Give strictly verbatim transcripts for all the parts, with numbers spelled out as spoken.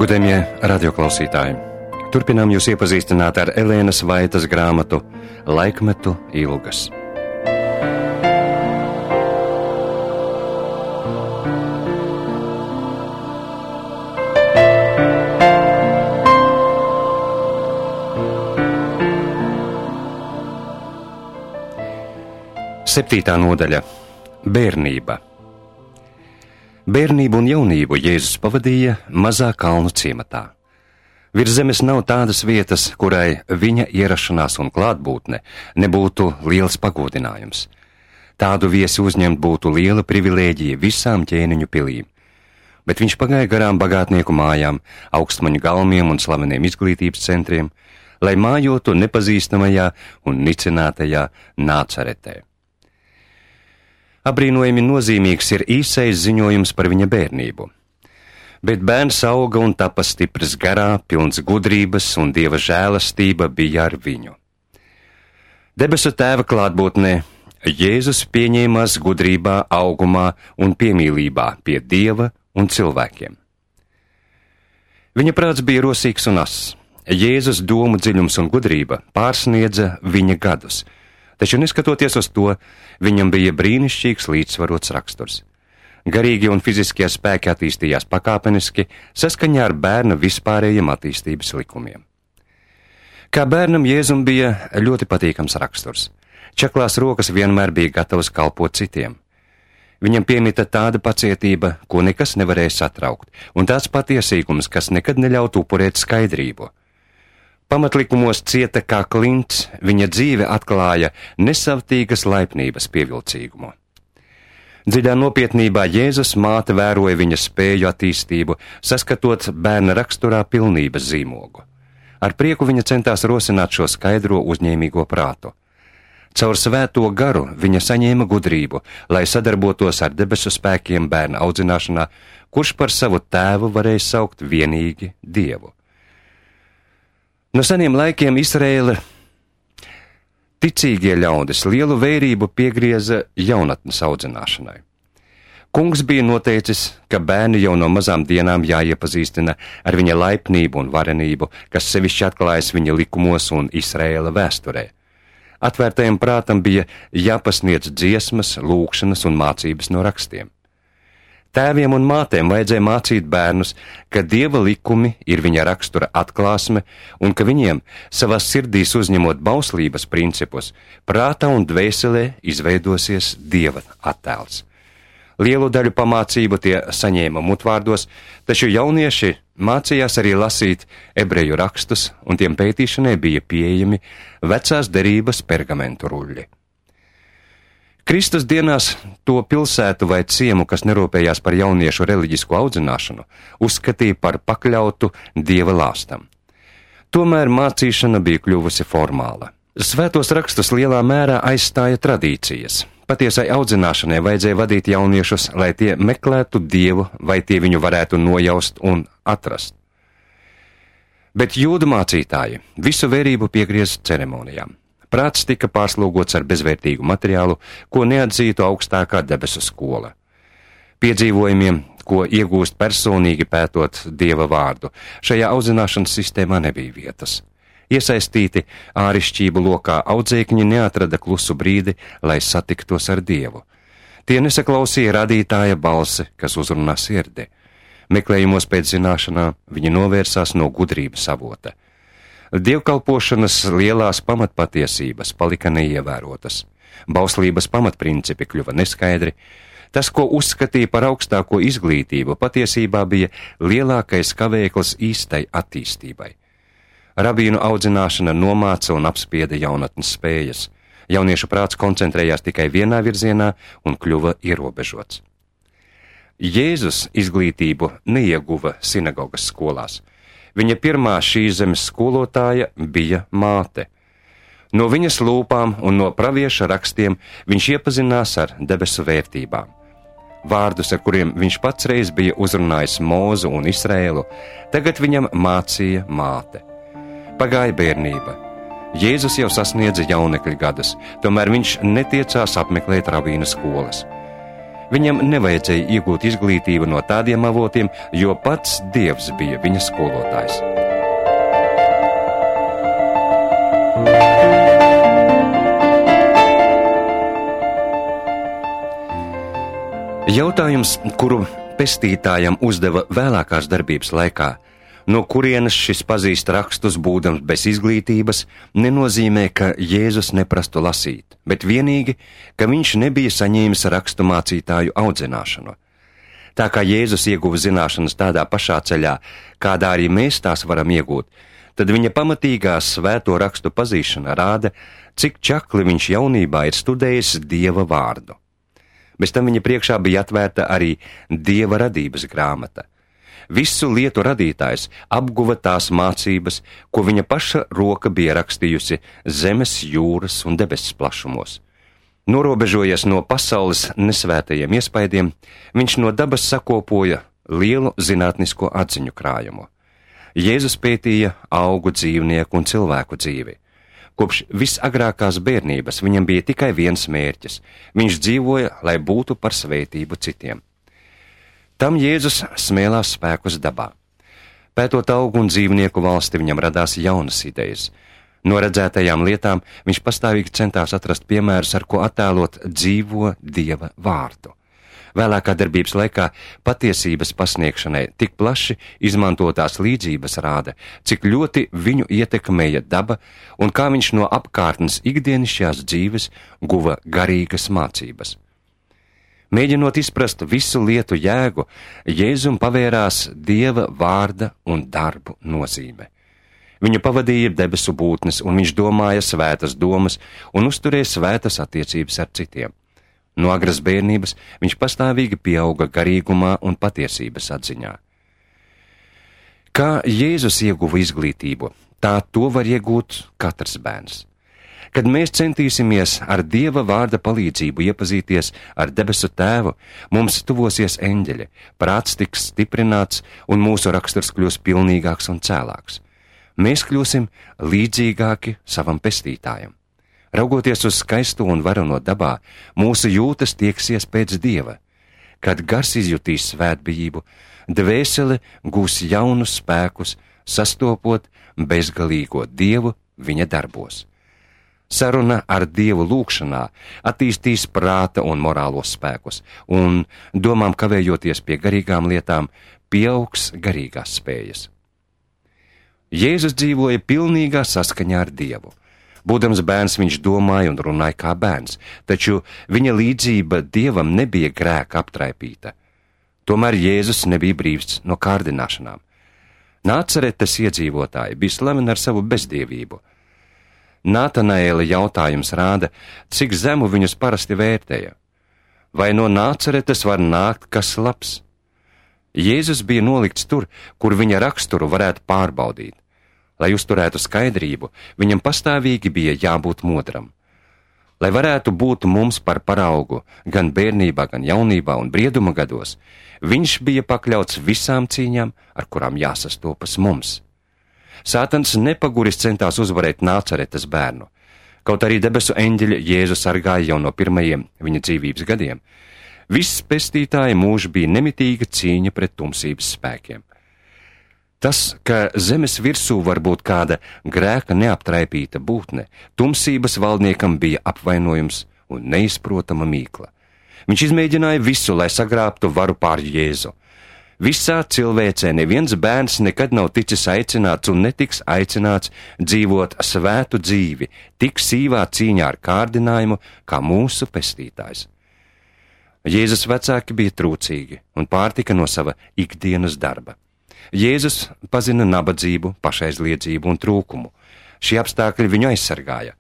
Godējamie radioklausītāji, turpinām jūs iepazīstināt ar Elēnas Vaitas grāmatu Laikmetu ilgas. Septītā nodaļa – Bērnība. Bērnību un jaunību Jēzus pavadīja mazā kalnu ciematā. Virs zemes nav tādas vietas, kurai viņa ierašanās un klātbūtne nebūtu liels pagodinājums. Tādu viesi uzņemt būtu liela privilēģija visām ķēniņu pilīm. Bet viņš pagāja garām bagātnieku mājām, augstmaņu galmiem un slaveniem izglītības centriem, lai mājotu nepazīstamajā un nicinātajā Nācaretē. Abrīnojami nozīmīgs ir īsais ziņojums par viņa bērnību. Bet bērns auga un tapa stiprs garā, pilns gudrības un Dieva žēlastība bija ar viņu. Debesu Tēva klātbūtnē Jēzus pieņēmās gudrībā, augumā un piemīlībā pie Dieva un cilvēkiem. Viņa prāts bija rosīgs un ass. Jēzus domu dziļums un gudrība pārsniedza viņa gadus. Taču neskatoties uz to, viņam bija brīnišķīgs līdzsvarots raksturs. Garīgi un fiziskie spēki attīstījās pakāpeniski, saskaņā ar bērna vispārējiem attīstības likumiem. Kā bērnam Jēzum bija ļoti patīkams raksturs. Čaklās rokas vienmēr bija gatavas kalpot citiem. Viņam piemita tāda pacietība, ko nekas nevarēja satraukt, un tāds patiesīgums, kas nekad neļautu upurēt skaidrību. Pamatlikumos cieta kā klints, viņa dzīve atklāja nesavtīgas laipnības pievilcīgumu. Dziļā nopietnībā Jēzus māte vēroja viņa spēju attīstību, saskatot bērna raksturā pilnības zīmogu. Ar prieku viņa centās rosināt šo skaidro uzņēmīgo prātu. Caur svēto garu viņa saņēma gudrību, lai sadarbotos ar debesu spēkiem bērna audzināšanā, kurš par savu tēvu varēja saukt vienīgi Dievu. No seniem laikiem Izraēla ticīgie ļaudis lielu vērību piegrieza jaunatnes audzināšanai. Kungs bija noteicis, ka bērni jau no mazām dienām jāiepazīstina ar viņa laipnību un varenību, kas sevišķi atklājas viņa likumos un Izraēla vēsturē. Atvērtajam prātam bija jāpasniedz dziesmas, lūkšanas un mācības no rakstiem. Tēviem un mātēm vajadzēja mācīt bērnus, ka Dieva likumi ir viņa rakstura atklāsme un ka viņiem savās sirdīs uzņemot bauslības principus, prātā un dvēselē izveidosies Dieva attēls. Lielu daļu pamācību tie saņēma mutvārdos, taču jaunieši mācījās arī lasīt ebreju rakstus, un tiem pētīšanai bija pieejami vecās derības pergamentu ruļļi. Kristus dienās to pilsētu vai ciemu, kas nerūpējās par jauniešu reliģisku audzināšanu, uzskatīja par pakļautu Dieva lāstam. Tomēr mācīšana bija kļuvusi formāla. Svētos rakstus lielā mērā aizstāja tradīcijas. Patiesai audzināšanai vajadzēja vadīt jauniešus, lai tie meklētu Dievu, vai tie viņu varētu nojaust un atrast. Bet jūdu mācītāji visu vērību piegriez ceremonijām. Prāts tika pārslogots ar bezvērtīgu materiālu, ko neatzītu augstākā debesu skola. Piedzīvojumiem, ko iegūst personīgi pētot Dieva vārdu, šajā audzināšanas sistēmā nebija vietas. Iesaistīti ārišķību lokā audzēkņi neatrada klusu brīdi, lai satiktos ar Dievu. Tie nesaklausīja radītāja balsi, kas uzrunā sirdi. Meklējumos pēc zināšanām viņi novērsās no gudrības avota. Dievkalpošanas lielās pamatpatiesības palika neievērotas. Bauslības pamatprincipi kļuva neskaidri. Tas, ko uzskatīja par augstāko izglītību, patiesībā bija lielākais kavēklis īstai attīstībai. Rabīnu audzināšana nomāca un apspieda jaunatnes spējas. Jauniešu prāts koncentrējās tikai vienā virzienā un kļuva ierobežots. Jēzus izglītību neieguva sinagogas skolās. Viņa pirmā šīs zemes skolotāja bija māte. No viņas lūpām un no pravieša rakstiem viņš iepazinās ar debesu vērtībām. Vārdus, ar kuriem viņš pats reiz bija uzrunājis Mūzu un Izraēlu, tagad viņam mācīja māte. Pagāja bērnība. Jēzus jau sasniedza jaunekļa gadus, tomēr viņš netiecās apmeklēt rabīna skolas. Viņam nevajadzēja iegūt izglītību no tādiem avotiem, jo pats Dievs bija viņa skolotājs. Jautājums, kuru pestītājam uzdeva vēlākās darbības laikā, no kurienes šis pazīst rakstus būdams bez izglītības, nenozīmē, ka Jēzus neprastu lasīt, bet vienīgi, ka viņš nebija saņēmis rakstu mācītāju audzināšanu. Tā kā Jēzus ieguva zināšanas tādā pašā ceļā, kādā arī mēs tās varam iegūt, tad viņa pamatīgā svēto rakstu pazīšana rāda, cik čakli viņš jaunībā ir studējis Dieva vārdu. Bez tam viņa priekšā bija atvērta arī Dieva radības grāmata. Visu lietu radītājs apguva tās mācības, ko viņa paša roka bija rakstījusi zemes, jūras un debesis plašumos. Norobežojies no pasaules nesvētajiem iespaidiem, viņš no dabas sakopoja lielu zinātnisko atziņu krājumu. Jēzus pētīja augu, dzīvnieku un cilvēku dzīvi. Kopš visagrākās bērnības viņam bija tikai viens mērķis – viņš dzīvoja, lai būtu par svētību citiem. Tam Jēzus smēlās spēkus dabā. Pētot augu un dzīvnieku valsti, viņam radās jaunas idejas. No redzētajām lietām viņš pastāvīgi centās atrast piemērus, ar ko attēlot dzīvo Dieva vārdu. Vēlākā darbības laikā patiesības pasniegšanai tik plaši izmantotās līdzības rāda, cik ļoti viņu ietekmēja daba un kā viņš no apkārtnes ikdienišķās dzīves guva garīgas mācības. Mēģinot izprast visu lietu jēgu, Jēzum pavērās Dieva vārda un darbu nozīme. Viņu pavadīja debesu būtnes, un viņš domāja svētas domas un uzturēja svētas attiecības ar citiem. No agras bērnības viņš pastāvīgi pieauga garīgumā un patiesības atziņā. Kā Jēzus ieguva izglītību, tā to var iegūt katrs bērns. Kad mēs centīsimies ar Dieva vārda palīdzību iepazīties ar debesu Tēvu, mums tuvosies eņģeļi, prāts tiks stiprināts un mūsu raksturs kļūs pilnīgāks un cēlāks. Mēs kļūsim līdzīgāki savam pestītājam. Raugoties uz skaisto un varano dabā, mūsu jūtas tieksies pēc Dieva. Kad gars izjutīs svētbijību, dvēsele gūs jaunus spēkus, sastopot bezgalīgo Dievu viņa darbos. Saruna ar Dievu lūgšanā attīstīs prāta un morālos spēkus, un domām kavējoties pie garīgām lietām, pieaugs garīgās spējas. Jēzus dzīvoja pilnīgā saskaņā ar Dievu. Būdams bērns, viņš domāja un runāja kā bērns, taču viņa līdzība Dievam nebija grēka aptraipīta. Tomēr Jēzus nebija brīvs no kārdināšanām. Nācaretes iedzīvotāji bija slaveni ar savu bezdievību. Nātanaēla jautājums rāda, cik zemu viņus parasti vērtēja. Vai no Nācaretes var nākt kas labs? Jēzus bija nolikts tur, kur viņa raksturu varētu pārbaudīt. Lai uzturētu skaidrību, viņam pastāvīgi bija jābūt modram. Lai varētu būt mums par paraugu gan bērnībā, gan jaunībā un brieduma gados, viņš bija pakļauts visām cīņām, ar kurām jāsastopas mums. Sātans nepaguris centās uzvarēt Nācaretes bērnu. Kaut arī debesu eņģeļi Jēzu sargāja jau no pirmajiem viņa dzīvības gadiem, viss pestītāja mūžs bija nemitīga cīņa pret tumsības spēkiem. Tas, ka zemes virsū var būt kāda grēka neaptraipīta būtne, tumsības valdniekam bija apvainojums un neizprotama mīkla. Viņš izmēģināja visu, lai sagrābtu varu pār Jēzu. Visā cilvēcē neviens bērns nekad nav ticis aicināts un netiks aicināts dzīvot svētu dzīvi, tik sīvā cīņā ar kārdinājumu, kā mūsu pestītājs. Jēzus vecāki bija trūcīgi un pārtika no sava ikdienas darba. Jēzus pazina nabadzību, pašaizliedzību un trūkumu. Šie apstākļi viņu aizsargāja.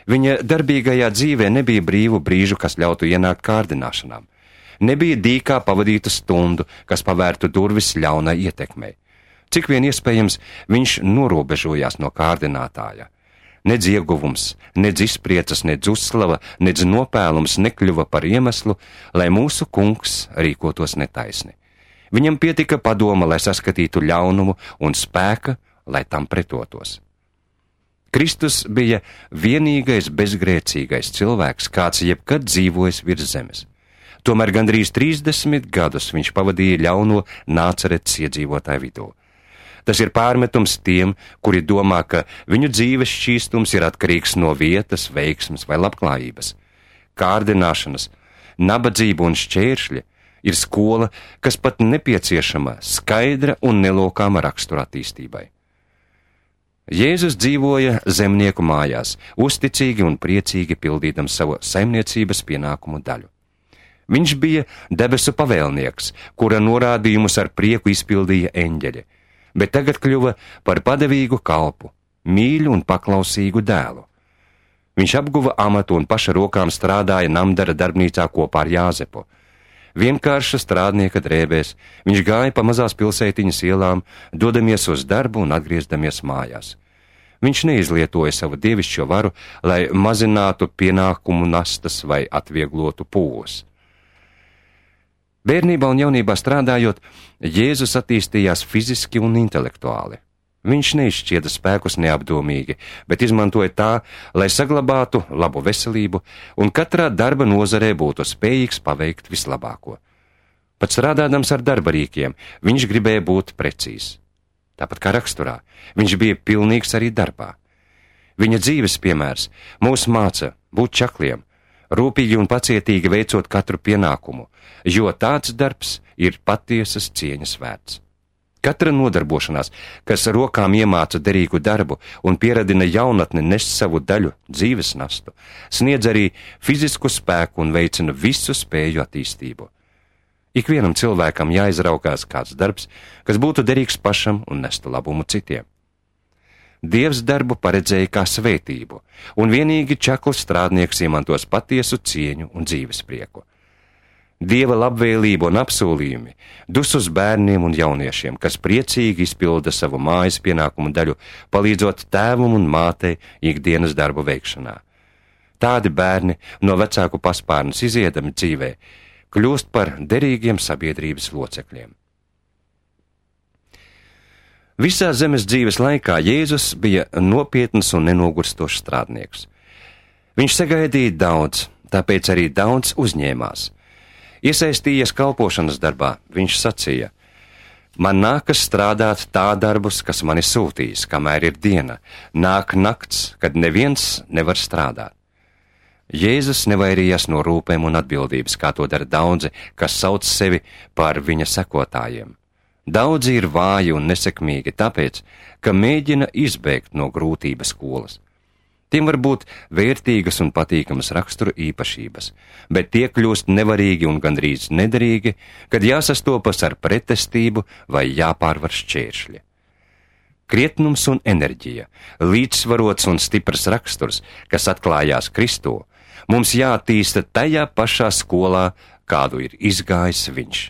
Viņa darbīgajā dzīvē nebija brīvu brīžu, kas ļautu ienākt kārdināšanām. Nebija dīkā pavadīta stundu, kas pavērtu durvis ļaunai ietekmei. Cik vien iespējams, viņš norobežojās no kārdinātāja. Nedz ieguvums, nedz izpriecas, nedz uzslava, nedz nopēlums nekļuva par iemeslu, lai mūsu kungs rīkotos netaisni. Viņam pietika padoma, lai saskatītu ļaunumu un spēka, lai tam pretotos. Kristus bija vienīgais bezgrēcīgais cilvēks, kāds jebkad dzīvojis virs zemes. Tomēr gandrīz trīsdesmit gadus viņš pavadīja ļauno Nāceretes iedzīvotāju vidū. Tas ir pārmetums tiem, kuri domā, ka viņu dzīves šķīstums ir atkarīgs no vietas, veiksmes vai labklājības. Kārdināšanas, nabadzība un šķēršļi ir skola, kas pat nepieciešama skaidra un nelokāma rakstura attīstībai. Jēzus dzīvoja zemnieku mājās, uzticīgi un priecīgi pildīdams savu saimniecības pienākumu daļu. Viņš bija debesu pavēlnieks, kura norādījumus ar prieku izpildīja eņģeļi, bet tagad kļuva par padevīgu kalpu, mīļu un paklausīgu dēlu. Viņš apguva amatu un paša rokām strādāja namdara darbnīcā kopā ar Jāzepu. Vienkārša strādnieka drēbēs viņš gāja pa mazās pilsētiņas ielām, dodamies uz darbu un atgriezdamies mājās. Viņš neizlietoja savu dievišķo varu, lai mazinātu pienākumu nastas vai atvieglotu pūles. Bērnībā un jaunībā strādājot, Jēzus attīstījās fiziski un intelektuāli. Viņš neizšķieda spēkus neapdomīgi, bet izmantoja tā, lai saglabātu labu veselību un katrā darba nozarē būtu spējīgs paveikt vislabāko. Pat strādādams ar darba rīkiem, viņš gribēja būt precīzs. Tāpat kā raksturā, viņš bija pilnīgs arī darbā. Viņa dzīves piemērs mūs māca būt čakliem, rūpīgi un pacietīgi veicot katru pienākumu, jo tāds darbs ir patiesas cieņas vērts. Katra nodarbošanās, kas rokām iemāca derīgu darbu un pieradina jaunatni nest savu daļu dzīves nastu, sniedz arī fizisku spēku un veicina visu spēju attīstību. Ikvienam cilvēkam jāizraukās kāds darbs, kas būtu derīgs pašam un nestu labumu citiem. Dievs darbu paredzēja kā svētību, un vienīgi čakls strādnieks iemantos patiesu cieņu un dzīves prieku. Dieva labvēlība un apsolījumi dus uz bērniem un jauniešiem, kas priecīgi izpilda savu mājas pienākumu daļu, palīdzot tēvam un mātei ikdienas darbu veikšanā. Tādi bērni no vecāku paspārnes iziedami dzīvē kļūst par derīgiem sabiedrības locekļiem. Visā zemes dzīves laikā Jēzus bija nopietns un nenogurstošs strādnieks. Viņš sagaidīja daudz, tāpēc arī daudz uzņēmās. Iesaistījies kalpošanas darbā, viņš sacīja: man nākas strādāt tā darbus, kas mani sūtīs, kamēr ir diena, nāk nakts, kad neviens nevar strādāt. Jēzus nevairījās no rūpēm un atbildības, kā to dara daudzi, kas sauc sevi par viņa sekotājiem. Daudzi ir vāji un nesekmīgi tāpēc, ka mēģina izbēgt no grūtības skolas. Tiem var būt vērtīgas un patīkamas rakstura īpašības, bet tie kļūst nevarīgi un gandrīz nederīgi, kad jāsastopas ar pretestību vai jāpārvar šķēršļi. Krietnums un enerģija, līdzsvarots un stiprs raksturs, kas atklājās Kristū, mums jāattīsta tajā pašā skolā, kādu ir izgājis viņš.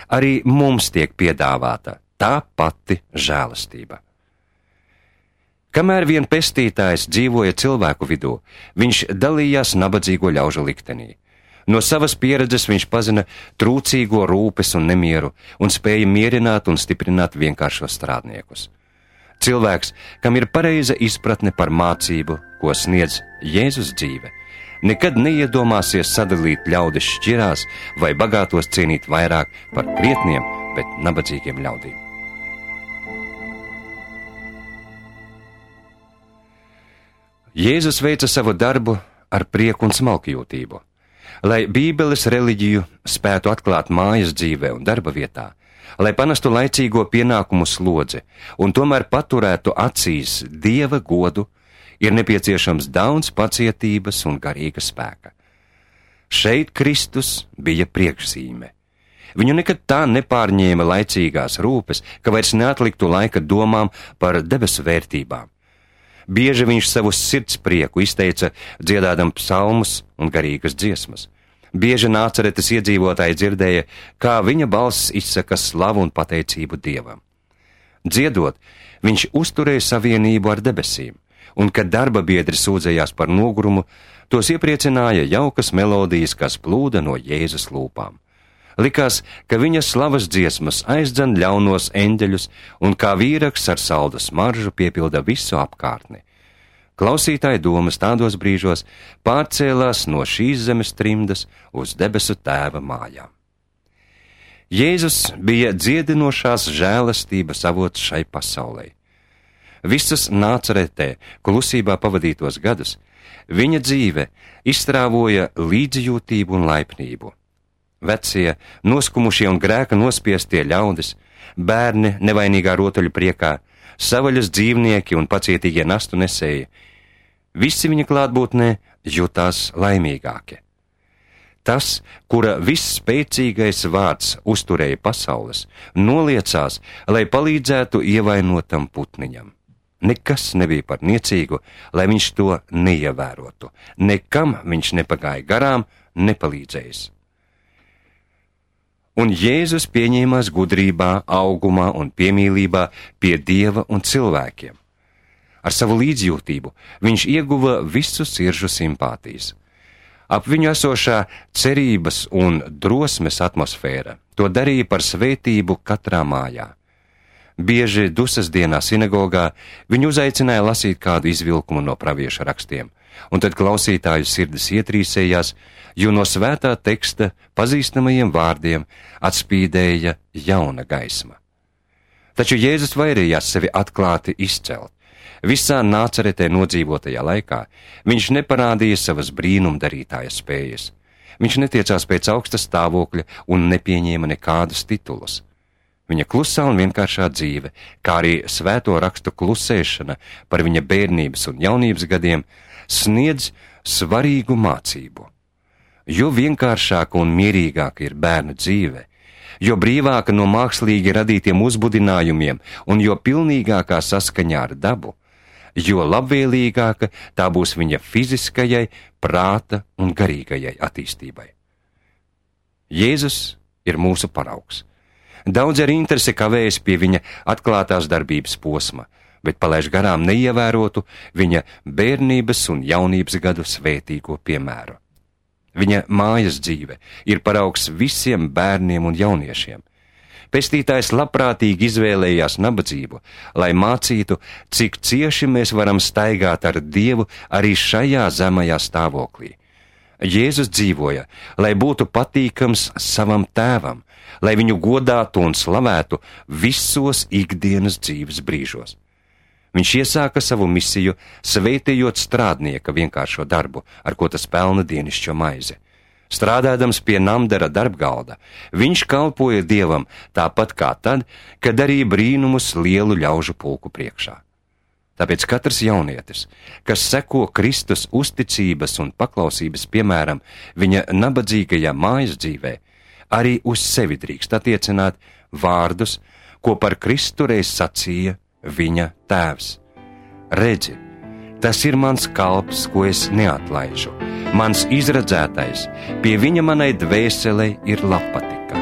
Arī mums tiek piedāvāta tā pati žēlastība. Kamēr vien pestītājs dzīvoja cilvēku vidū, viņš dalījās nabadzīgo ļaužu liktenī. No savas pieredzes viņš pazina trūcīgo rūpes un nemieru un spēja mierināt un stiprināt vienkāršos strādniekus. Cilvēks, kam ir pareiza izpratne par mācību, ko sniedz Jēzus dzīve, nekad neiedomāsies sadalīt ļaudis šķirās vai bagātos cienīt vairāk par krietniem, bet nabadzīgiem ļaudīm. Jēzus veica savu darbu ar prieku un smalkjūtību. Lai Bībeles reliģiju spētu atklāt mājas dzīvē un darba vietā, lai panestu laicīgo pienākumu slodzi un tomēr paturētu acīs Dieva godu, ir nepieciešams daudz pacietības un garīga spēka. Šeit Kristus bija priekšzīme. Viņu nekad tā nepārņēma laicīgās rūpes, ka vairs neatliktu laika domām par debesu vērtībām. Bieži viņš savu sirds prieku izteica dziedādam psalmus un garīgas dziesmas. Bieži Nāceretes iedzīvotāji dzirdēja, kā viņa balss izsaka slavu un pateicību Dievam. Dziedot, viņš uzturēja savienību ar debesīm, un, kad darba biedri sūdzējās par nogurumu, tos iepriecināja jaukas melodijas, kas plūda no Jēzus lūpām. Likās, ka viņa slavas dziesmas aizdzen ļaunos eņģeļus un kā vīraks ar saldu smaržu piepilda visu apkārtni. Klausītāja domas tādos brīžos pārcēlās no šīs zemes trimdas uz debesu Tēva mājām. Jēzus bija dziedinošās žēlastības avots šai pasaulei. Visus Nācaretē klusībā pavadītos gadus viņa dzīve izstrāvoja līdzjūtību un laipnību. Vecie, noskumušie un grēka nospiestie ļaudis, bērni nevainīgā rotaļu priekā, savaļas dzīvnieki un pacietīgie nastu nesēji, visi viņa klātbūtnē jutās laimīgāki. Tas, kura visspēcīgais vārds uzturēja pasaules, noliecās, lai palīdzētu ievainotam putniņam. Nekas nebija par niecīgu, lai viņš to neievērotu. Nekam viņš nepagāja garām, nepalīdzējis. Un Jēzus pieņēmās gudrībā, augumā un piemīlībā pie Dieva un cilvēkiem. Ar savu līdzjūtību viņš ieguva visu sirdžu simpātijas. Ap viņu esošā cerības un drosmes atmosfēra to darīja par svētību katrā mājā. Bieži dusas dienā sinagogā viņu uzaicināja lasīt kādu izvilkumu no pravieša rakstiem, un tad klausītāju sirdis ietrīsējās, jo no svētā teksta pazīstamajiem vārdiem atspīdēja jauna gaisma. Taču Jēzus vairījās sevi atklāti izcelt. Visā Nācaretē nodzīvotajā laikā viņš neparādīja savas brīnumdarītāja spējas. Viņš netiecās pēc augsta stāvokļa un nepieņēma nekādus titulus. Viņa klusā un vienkāršā dzīve, kā arī svēto rakstu klusēšana par viņa bērnības un jaunības gadiem, sniedz svarīgu mācību. Jo vienkāršāka un mierīgāka ir bērnu dzīve, jo brīvāka no mākslīgi radītiem uzbudinājumiem un jo pilnīgākā saskaņā ar dabu, jo labvēlīgāka tā būs viņa fiziskajai, prāta un garīgajai attīstībai. Jēzus ir mūsu paraugs. Daudz ar interesi kavējas pie viņa atklātās darbības posma, bet palaiž garām neievērotu viņa bērnības un jaunības gadu svētīgo piemēru. Viņa mājas dzīve ir paraugs visiem bērniem un jauniešiem. Pestītājs labprātīgi izvēlējās nabadzību, lai mācītu, cik cieši mēs varam staigāt ar Dievu arī šajā zemajā stāvoklī. Jēzus dzīvoja, lai būtu patīkams savam tēvam, lai viņu godātu un slavētu visos ikdienas dzīves brīžos. Viņš iesāka savu misiju, svētījot strādnieka vienkāršo darbu, ar ko tas pelna dienišķo maizi. Strādādams pie namdara darbgalda, viņš kalpoja Dievam tāpat kā tad, kad darīja brīnumus lielu ļaužu pulku priekšā. Tāpēc katrs jaunietis, kas seko Kristus uzticības un paklausības piemēram viņa nabadzīgajā mājas dzīvē, arī uz sevi drīkst attiecināt vārdus, ko par Kristu reiz sacīja viņa tēvs. Redzi, tas ir mans kalps, ko es neatlaižu, mans izredzētais, pie viņa manai dvēselei ir labpatika.